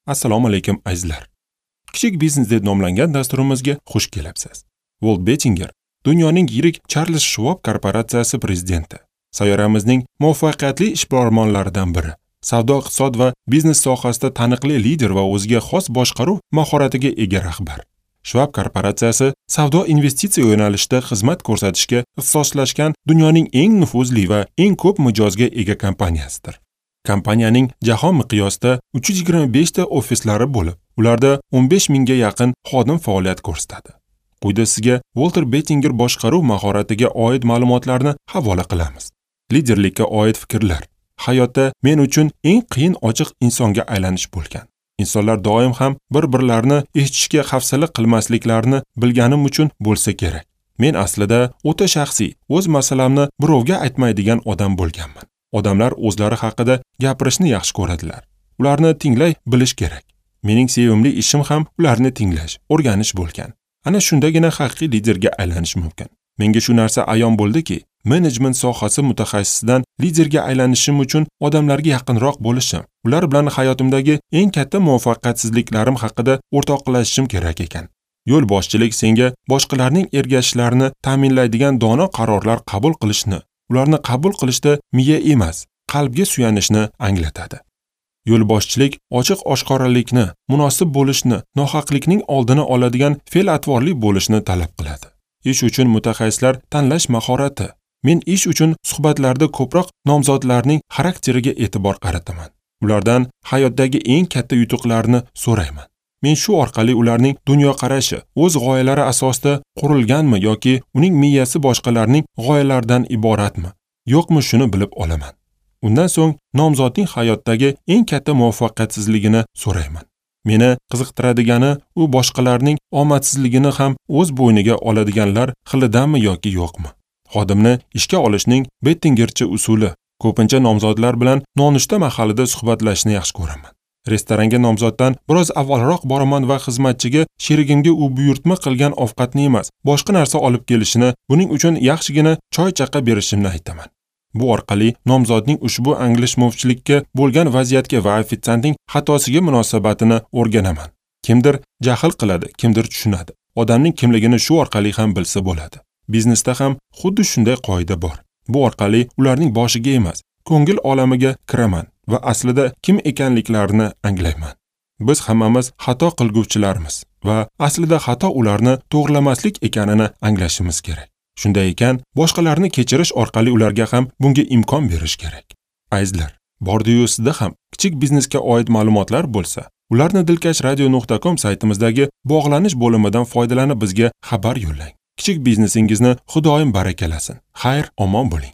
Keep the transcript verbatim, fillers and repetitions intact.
Assalomu alaykum azizlar. Kichik biznes deb nomlangan dasturimizga xush kelibsiz. Walt Bettinger dunyoning yirik Charles Schwab korporatsiyasi prezidenti, sayyoramizning muvaffaqiyatli ishbilarmonlaridan biri, savdo, iqtisod va biznes sohasida taniqli lider va o'ziga xos boshqaruv mahoratiga ega rahbar. Schwab korporatsiyasi savdo investitsiya yo'nalishida xizmat ko'rsatishga ixtisoslashgan dunyoning eng nufuzli va eng ko'p mijozga ega kompaniyasidir. Kompaniyaning jahon miqyosida uch yuz yigirma besh ta ofislari bo'lib, ularda o'n besh mingga yaqin xodim faoliyat ko'rsatadi. Quyida sizga Walter Bettinger boshqaruv mahoratiga oid ma'lumotlarni havola qilamiz. Liderlikka oid fikrlar. Hayotda men uchun eng qiyin ochiq insonga aylanish bo'lgan. Insonlar doim ham bir-birlarini eshitishga hafsala qilmasliklarini bilganim uchun bo'lsa kerak. Men aslida o'ta shaxsiy, o'z masalamni birovga aytmaydigan odam bo'lganman. Odamlar o'zlari haqida gapirishni yaxshi ko'radilar. Ularni tinglay bilish kerak. Mening sevimli ishim ham ularni tinglash, o'rganish bo'lgan. Ana shundagina haqiqiy liderga aylanish mumkin. Menga shu narsa ayon bo'ldiki, menejment sohasi mutaxassisidan liderga aylanishim uchun odamlarga yaqinroq bo'lishim, ular bilan hayotimdagi eng katta muvaffaqiyatsizliklarim haqida o'rtoqlashishim kerak ekan. Yo'l boshchilik senga boshqalarning ergashishlarini ta'minlaydigan dono qarorlar qabul qilishni, ularni qabul qilishda miya emas, qalbga suyanishni anglatadi. Yo'lboshchilik ochiq oshkoralikni, munosib bo'lishni, nohaqlikning oldini oladigan fe'l-atvorli bo'lishni talab qiladi. Ish uchun mutaxassislar tanlash mahorati. Men ish uchun suhbatlarda ko'proq nomzodlarning xarakteriga e'tibor qarataman. Ulardan hayotdagi eng katta yutuqlarni so'rayman. Men shu orqali ularning dunyoqarashi o'z g'oyalari asosida qurilganmi yoki uning miyasi boshqalarning g'oyalaridan iboratmi, yo'qmi shuni bilib olaman. Undan so'ng nomzodning hayotdagi eng katta muvaffaqiyatsizligini so'rayman. Meni qiziqtiradigani u boshqalarning omadsizligini ham o'z bo'yniga oladiganlar xilidanmi yoki yo'qmi. Xodimni ishga olishning Bettingercha usuli. Ko'pincha nomzodlar bilan nonushta mahalida suhbatlashishni yaxshi ko'raman. Restoranga nomzoddan biroz avvalroq boraman va xizmatchiga sherigimga u buyurtma qilgan ovqatni emas, boshqa narsa olib kelishini, buning uchun yaxshigina choy chaqa berishimni aytaman. Bu orqali nomzodning ushbu anglashmovchilikka bo'lgan vaziyatga va ofitsiantning xatosiga munosabatini o'rganaman. Kimdir jahl qiladi, kimdir tushunadi. Odamning kimligini shu orqali ham bilsa bo'ladi. Biznesda ham xuddi shunday qoida bor. Bu orqali ularning boshiga emas, ko'ngil olamiga kiraman va aslida kim ekanliklarini anglayman. Biz hammamiz xato qilguvchilarmiz va aslida xato ularni to'g'rilamaslik ekanini anglashimiz kerak. Shunday ekan, boshqalarni kechirish orqali ularga ham bunga imkon berish kerak. Azizlar, bordi-yu sizda ham kichik biznesga oid ma'lumotlar bo'lsa, ularni dilkash radio nuqta com saytimizdagi bog'lanish bo'limidan foydalanib bizga xabar yo'llang. Kichik biznesingizni Xudoyim barakalasin. Xayr, omon bo'ling.